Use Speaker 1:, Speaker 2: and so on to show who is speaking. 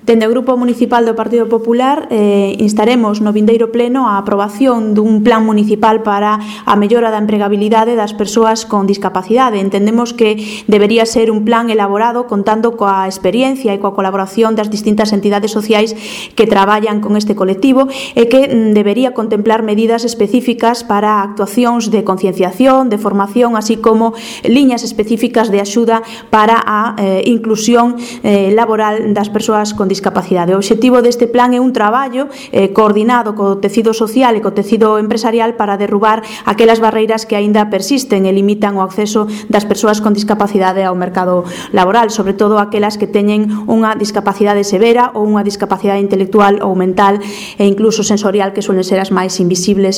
Speaker 1: Dende o Grupo Municipal do Partido Popular instaremos no vindeiro pleno a aprobación dun plan municipal para a mellora da empregabilidade das persoas con discapacidade. Entendemos que debería ser un plan elaborado contando coa experiencia e coa colaboración das distintas entidades sociais que traballan con este colectivo e que debería contemplar medidas específicas para actuacións de concienciación, de formación, así como liñas específicas de axuda para a inclusión laboral das persoas con discapacidade. O obxectivo deste plan é un traballo coordinado co tecido social e co tecido empresarial para derrubar aquelas barreiras que aínda persisten e limitan o acceso das persoas con discapacidade ao mercado laboral, sobre todo aquelas que teñen unha discapacidade severa ou unha discapacidade intelectual ou mental e incluso sensorial, que suelen ser as máis invisibles